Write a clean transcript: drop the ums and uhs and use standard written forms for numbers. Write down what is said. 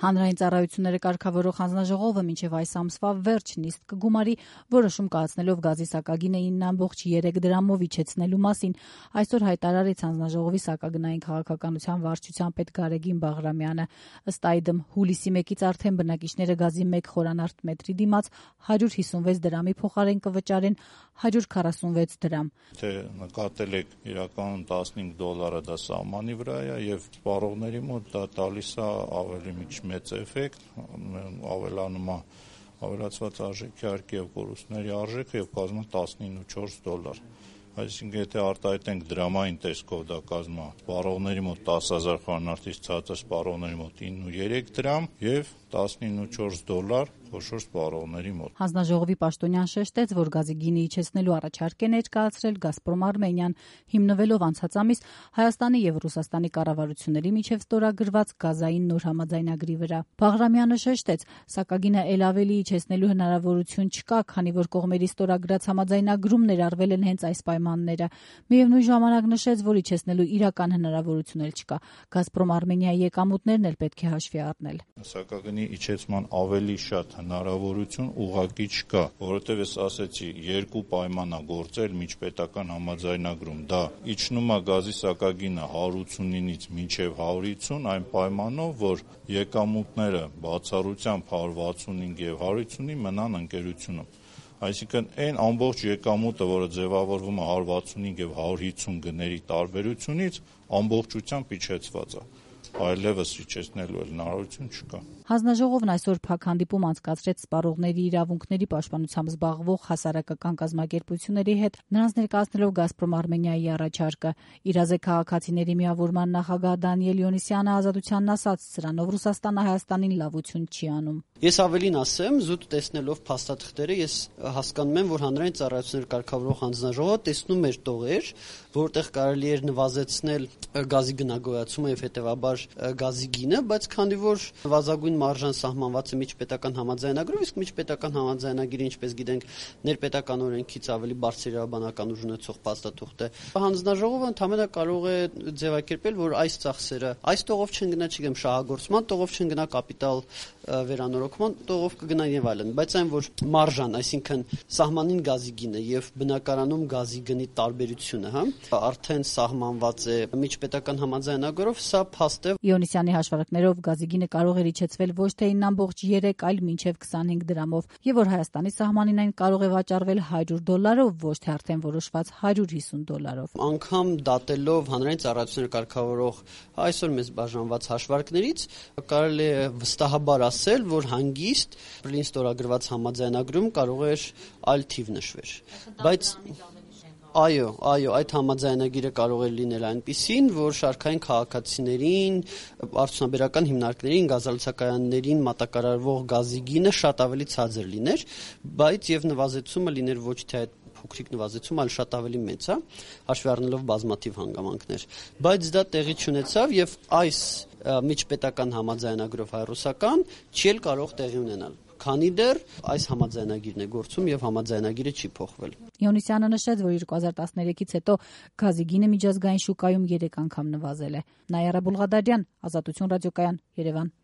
Հանրային ծառայությունները կարգավորող հանձնաժողովը մինչև այս ամսվա վերջ նիստ կգումարի, որոշում կայացնելով գազի սակագինը 9,3 դրամով իջեցնելու մասին, այսօր հայտարարեց հանձնաժողովի սակագնային քաղաքականության վարչության պետ Գարեգին Բաղրամյանը։ Ըստ այդմ հուլիսի 1-ից արդեն բնակիչները գազի 1 խորանարդ մետրի դիմաց 156 դրամի փոխարեն կվճարեն 146 դրամ։ Թե նկատել եք իրականում $15 դա սահմանի վրա է եւ սպառողների մոտ դա տալիս է ավելի մեծ էֆեկտ, ավելանում է ավելացված արժեքի արժեքի եւ կորուստների արժեքը եւ կազմում $19.4։ Այսինքն եթե արտահայտենք դրամային տեսքով դա կազմում է սպառողների մոտ 10,000 խորանարդից ցածր սպառողների մոտ 9,3 դրամ եւ $19.4 խոշոր սպառողների մոտ։ Հանձնաժողովի պաշտոնյան շեշտեց, որ գազի գինը իջեցնելու առաջարկ է ներկայացրել «Գազպրոմ Արմենիան», հիմնվելով անցած ամիս Հայաստանի եւ Ռուսաստանի կառավարությունների միջև ստորագրված գազային նոր համաձայնագրի վրա։ Բաղրամյանը շեշտեց, սակագինը ել ավելի իջեցնելու հնարավորություն չկա, քանի որ կողմերի ստորագրած համաձայնագրում ներառվել են հենց այս պայմանները։ Միևնույն ժամանակ նշեց, որ իջեցնելու իրական հնարավորություն էլ չկա։ «Գազպրոմ Արմենիայի» եկամուտներն էլ պետք է հաշվի առնել։ Սակագնի իջեցման ավելի շատ հնարավորություն ուղղակի չկա, որովհետև ես ասեցի, երկու պայման է գործել միջպետական համաձայնագրում։ Դա իջնում է գազի սակագինը 189-ից մինչև 150, այն պայմանով, որ եկամուտները բացառությամբ 165 եւ 150-ի մնան ընկերությունում։ Այսինքն այն ամբողջ եկամուտը, որը ձևավորվում է 165 եւ 150 գների տարբերությունից, ամբողջությամբ իջեցված է։ Այլևս իջեցնելու հնարավորություն չկա։ Հանձնաժողովն այսօր փակ հանդիպում անցկացրեց սպառողների իրավունքների պաշտպանությամբ զբաղվող հասարակական կազմակերպությունների հետ, նրանց ներկայացնելով «Գազպրոմ Արմենիայի» առաջարկը։ Իրազեկ քաղաքացիների միավորման նախագահ Դանիել Յոնիսյանը Ազատությանն ասաց, սրանով Ռուսաստանը Հայաստանին լավություն չի անում։ Ես ավելին ասեմ, զուտ տեսնելով փաստաթղթերը, ես հասկանում եմ, որ հանրային ծառայություններ կարգավորող հանձնաժողովը տեսնում էր տողեր, որտեղ կարելի էր նվազեցնել գազի գնագոյացումը եւ հետեւաբար գազի գինը, բայց քանի որ նվազագույն մարժան սահմանված է միջպետական համաձայնագրով, իսկ միջպետական համաձայնագիրը, ինչպես գիտենք, ներպետական օրենքից ավելի բարձր իրավաբանական ուժ ունեցող փաստաթուղթ է, հանձնաժողովը ընդհանրապես կարող է ձևակերպել, որ այս ծախսերը այս տողով չեն գնա, չգիտեմ, շահագործման տողով չեն գնա, կապիտալ վերանորոգման տողով կգնան եւ այլն, բայց այն որ մարժան, այսինքն սահմանին գազի գինը եւ բնակարանում գազի գնի տարբերությունը, արդեն սահմանված է միջպետական համաձայնագրով, սա փաստ է։ Յոնիսյանի հաշվարկներով գազի գինը կարող է իջեցվել ոչ թե 9,3, այլ մինչև 25 դրամով, եւ որ Հայաստանի սահմանին այն կարող է վաճառվել $100, ոչ թե արդեն որոշված $150։ Անգամ դատելով հանրային ծառայություններ կարգավորող այսօր մեզ բաժանված հաշվարկներից կարելի է վստահաբար ասել, որ հանգիստ պլին ստորագրված համաձայնագրում կարող էր այլ թիվ նշվեր, բայց այո, այդ համաձայնագիրը կարող է լինել այնպիսին, որ շարքային քաղաքացիներին, արդյունաբերական հիմնարկներին, գազալցակայաններին մատակարարվող գազի գինը շատ ավելի ցածր լիներ, բայց եւ նվազեցումը լիներ ոչ թե այդ փոքրիկ նվազեցում, այլ շատ ավելի մեծ է, հաշվի առնելով բազմաթիվ հանգամանքներ, բայց դա տեղի չունեցավ եւ այս միջպետական համաձայնագրով հայ-ռուսական չի էլ կարող տեղի ունենալ, քանի դեռ այս համաձայնագիրն է գործում եւ համաձայնագիրը չի փոխվել։ Յոնիսյանը նշեց, որ 2013-ից հետո գազի գինը միջազգային շուկայում 3 անգամ նվազել է։ Նայարա Բուլղադարյան, Ազատություն ռադիոկայան, Երևան։